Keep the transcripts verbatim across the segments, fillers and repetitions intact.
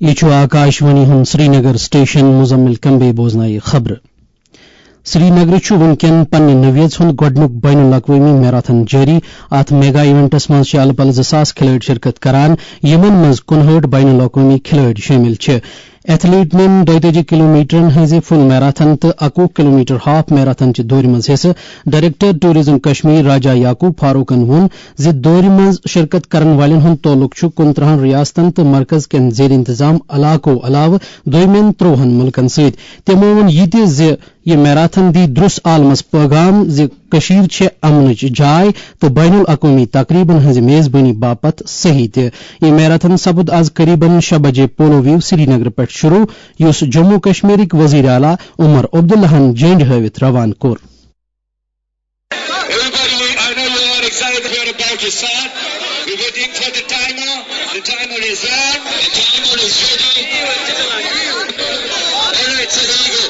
یہِ چھُ آکاشوانی ہُنٛد سرینگر سٹیشن، مزمل کمبے بوزنایہِ خبرٕ۔ سرینگرٕ چھُ وُنکٮ۪ن پننہِ نوعیژ ہُنٛد گۄڈٕنیُک بین الاقوٲمی میراتھن جٲری۔ اَتھ میگا ایونٹس منٛز چھِ الہٕ پلہٕ زٕ ساس کھلٲڑۍ شرکت کران، یِمن منٛز کُنہٲٹھ بین الاقوٲمی کھلٲڑۍ شٲمِل چھِ۔ ایتھلیٹنن دۄیتٲجی کلومیٹرن ہٕنٛزِ فل میراتھن تہٕ اَکوُہ کلومیٹر ہاف میراتھن چہِ دورِ منٛز حصہٕ۔ ڈائریکٹر ٹورازم کشمیر راجہ یعقوب فاروقن ووٚن زِ دورِ منٛز شرکت کرن والٮ۪ن ہُنٛد تعلق چھُ کُنترٕہن ریاستن تہٕ مرکز کٮ۪ن زیر انتظام علاقو علاوٕ دوٚیمٮ۪ن ترٛۆہن مُلکن سۭتۍ۔ تِمو ووٚن یہِ تہِ زِ یہِ میراتھن دی درُس عالمس پٲغام زِ کٔشیٖر چھےٚ امنٕچ جاے تہٕ بین الاقوٲمی تقریبن ہٕنٛزِ میزبٲنی باپتھ صحیح تہِ۔ یہِ میراتھن سپُد از قریباً شےٚ بجے پولو ویو سرینگرٕ پٮ۪ٹھ شروع، یُس جموں کشمیرٕکۍ وزیر اعلیٰ عمر عبداللہن جنڈٕ ہٲوِتھ روانہٕ کوٚر۔ Everybody, I know you are excited. We're about to start. We're waiting for the timer. The timer is there. The timer is ready. All right, so here we go.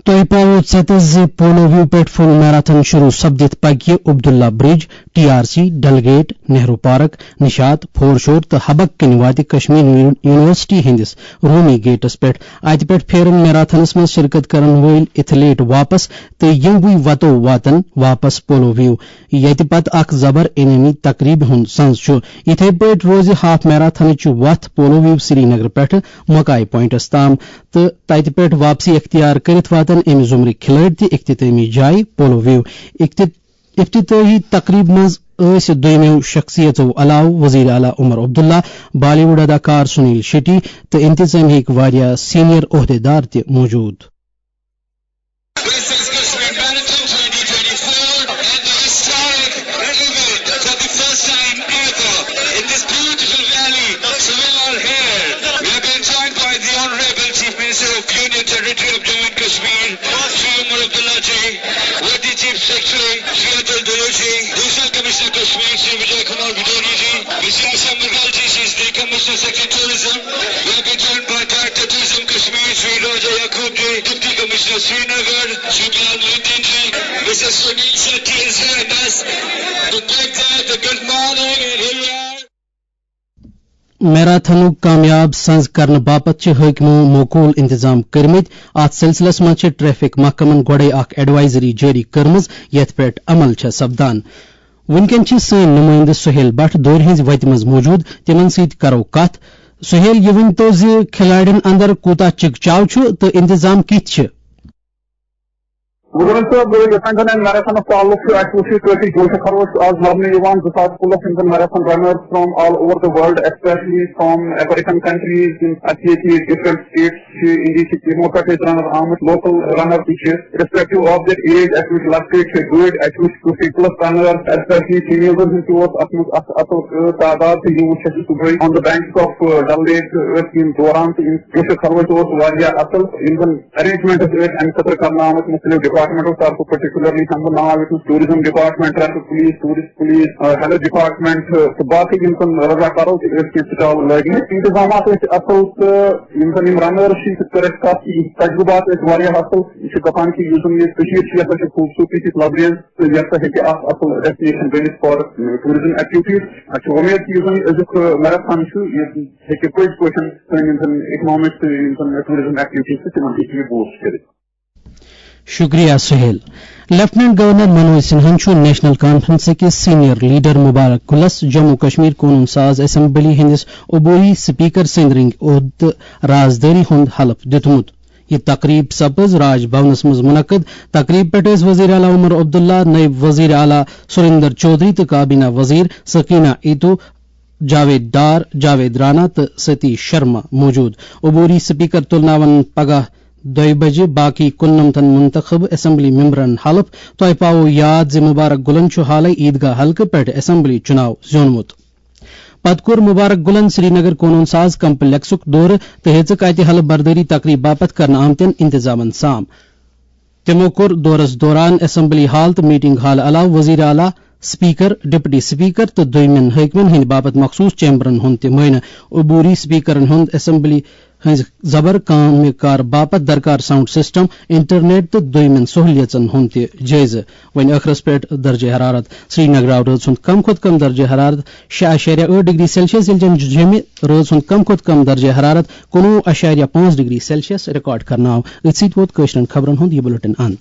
تۄہہِ پاوو ژٮ۪تس زِ پولو ویو پٮ۪ٹھ فل marathon شروع سپدِتھ پکہِ Abdullah bridge, T R C, Dal gate, Nehru park, Nishat, foreshore تہٕ حبک کِنۍ واتہِ کشمیر یونی-، یونیورسٹی ہٕنٛدِس رومی گیٹس پٮ۪ٹھ۔ اتہِ پٮ۪ٹھ پھیرن میراتھنس منٛز شرکت کرن وٲلۍ ایتھلیٹ واپس تہٕ یِموٕے وتو واتن واپس پولو ویو، ییٚتہِ پتہٕ اکھ زبر انعٲمی تقریبہِ ہُنٛد سنز چھُ۔ یِتھے پٲٹھۍ روزِ ہاف میراتھنٕچ وتھ پولو ویو سرینگر پٮ۪ٹھٕ مکاے پوینٹس تام تہٕ تتہِ پٮ۪ٹھ واپسی اختیار کٔرِتھ واتن امہِ زمرٕکۍ کھلٲڑۍ تہِ اختتٲمی جایہِ پولو ویو۔ اخت-، افتتاحی تقریبہِ منٛز ٲسۍ دوٚیمٮ۪و شخصیژو علاوٕ وزیر اعلیٰ عمر عبداللہ، بالی ووڈ اداکار سنیل شیٹی تہٕ انتظامیہ ہٕکۍ واریاہ سینئر عہدیدار تہِ موجود۔ This is Kashmir Marathon twenty twenty-four, and the historic event for the first time ever in this beautiful valley. So we are here. We have been joined by the Honorable Chief Minister of Union Territory of Jammu and Kashmir, Shri Umar Abdullah ji, worthy Chief Secretary, Shri Atul Dulu ji, Divisional Commissioner Kashmir, Shri Vijay Kumar Bidoni ji, Mister Asha Mughal ji, she is the Commissioner Secretary Tourism. We have been joined by Director Tourism Kashmir, Shri Raja Yaqub ji, Deputy Commissioner Srinagar, Shri Bilal Muhyiddin ji, Mister Sunil Shetty has joined us. The big day, the good morning, and here we are. میراتھنُک کامیاب سنز کرنہٕ باپتھ چھِ حٲکمو موکوٗل انتظام کٔرمٕتۍ۔ اتھ سلسلس منٛز چھِ ٹریفک محکمن گۄڈے اکھ ایڈوائزری جٲری کٔرمٕژ، یتھ پٮ۪ٹھ عمل چھےٚ سپدان۔ وُنکٮ۪ن چھِ سٲنۍ نُمٲیندٕ سہیل بٹ دورِ ہٕنٛزِ وتہِ منٛز موجود، تِمن سۭتۍ کرو کتھ۔ سہیل، یہِ ؤنۍ تو زِ کھلاڑٮ۪ن اندر کوٗتاہ چکچاو چھُ تہٕ انتظام کِتھ چھِ؟ گُزرن صٲب، یۄس زن میراتھنس تعلق چھُ، اَسہِ وُچھ یہِ کٲفی جوش و خروش آز لبنہٕ یِوان۔ زٕ ساس پُلس یِم زن marathon رنٲرٕس from all over the world, especially from African countries، یِم اَسہِ ییٚتہِ different states چھِ، اِنڈیا چھِ، تِمو پٮ۪ٹھ ٲسۍ رنر آمٕتۍ، لوکل رنر تہِ چھِ۔ Irrespective of their age، اَسہِ وُچھ لۄکٹہِ چھِ بٔڑۍ، اَسہِ وُچھ کٲفی پُلس رنٲرٕس، especially females ہٕنٛز تہِ اوس اَتھ منٛز اَص-، اَصٕل، آ، تعداد تہٕ یِم وُچھ اَسہِ صُبحٲے on the banks of، آ، Dal Lake ٲسۍ یِم دوران تہٕ یِم جوش و خروش اوس واریاہ اَصٕل۔ یِم زن arrangements ٲسۍ اَمہِ خٲطرٕ کرنہٕ آمٕتۍ مُختٔلِف department و طرفہٕ، particularly ہٮ۪مہٕ بہٕ ناو ییٚتہِ نَس tourism department، traffic police، tourist police، آ، health department، آ، تہٕ باقٕے یِم زن رضاکارو تہِ ٲسۍ کینٛہہ stall لٲگمٕتۍ۔ انتظامات ٲسۍ اَصٕل تہٕ یِم زن یِم runners چھِ، یِتھ پٲٹھۍ اَسہِ کَتھ چھِ، یِم تجرُبات ٲسۍ واریاہ اَصٕل۔ یہِ چھُ دَپان کہِ یُس زن یہِ کٔشیٖر چھِ، یہِ ہسا چھِ خوٗبصوٗرتی سۭتۍ لبریز تہٕ یہِ ہسا ہیٚکہِ اَکھ اَصٕل destination بٔنِتھ for tourism activities۔ اَسہِ چھِ وۄمید کہِ یُس زن یہِ أزیُک، آ، میراتھن چھُ، یہِ ہیٚکہِ پٔزۍ پٲٹھۍ سٲنۍ یِم زن economics تہٕ یِم زن tourism activities چھِ، تِمن ہیٚکہِ یہِ boost کٔرِتھ۔ شُکریہ سہیل۔ لیفٹیننٹ گورنر منوج سنہاہن چھُ نیشنل کانفرنس کِس سینئر لیڈر مبارک گلس جموں کشمیر قونوٗن ساز اسمبلی ہٕنٛدِس عبوری سپیکر سٕنٛدۍ رٔنگۍ عہدٕ تہٕ رازدٲری ہُنٛد حلف دیُتمُت۔ یہِ تقریب سپٕز راج بھونس منٛز منعقد۔ تقریب پٮ۪ٹھ ٲسۍ وزیر اعلیٰ عمر عبداللہ، نٲیِب وزیر اعلیٰ سریندر چودھری تہٕ کابینہ وزیر سکینہ ایتو، جاوید ڈار، جاوید رانا تہٕ ستیش شرما موجود۔ عبوری سپیکر تُلناون پگاہ دۄیہِ بجہِ باقی کُننمتن منتخب اسمبلی ممبرن حلف۔ تۄہہِ پاوو یاد زِ مبارک گُلن چھُ حالے عیدگاہ حلقہٕ پٮ۪ٹھ اسمبلی چُناو زیوٗنمُت۔ پتہٕ کوٚر مبارک گُلن سرینگر قونوٗن ساز کمپلیکسُک دورٕ تہٕ ہیٚژٕکھ اتہِ حلف بردٲری تقریب باپتھ کرنہٕ آمتٮ۪ن انتظامن سام۔ تِمو کوٚر دورس دوران اسمبلی ہال تہٕ میٹنگ ہال علاوٕ وزیر اعلیٰ، سپیکر، ڈپٹی سپیکر تہٕ دوٚیمٮ۪ن حٲکمن ہٕنٛدِ باپتھ مخصوص چیمبرن ہُنٛد تہِ معائنہٕ۔ عبوری سپیکرن ہُنٛد اسمبلی ہٕنٛزِ زبر کامہِ کار باپتھ درکار ساؤنڈ سسٹم، انٹرنیٹ تہٕ دوٚیمٮ۪ن سہولیژن ہُنٛد تہِ جٲیزٕ۔ وۄنۍ ٲخرس پٮ۪ٹھ درجہ حرارت۔ سری نگر آو رٲژ ہُنٛد کم کھۄتہٕ کم درجہ حرارت شےٚ اعشاریہ ٲٹھ ڈگری سیلسیس، ییٚلہِ زن جیٚمہِ رٲژ ہُنٛد کم کھۄتہٕ کم درجہ حرارت کُنوُہ اعشاریہ پانٛژھ ڈگری سیلسیس ریکارڈ کرنہٕ آو۔ أتھۍ سۭتۍ ووت کٲشرٮ۪ن خبرن ہُنٛد یہِ بلیٹن اند۔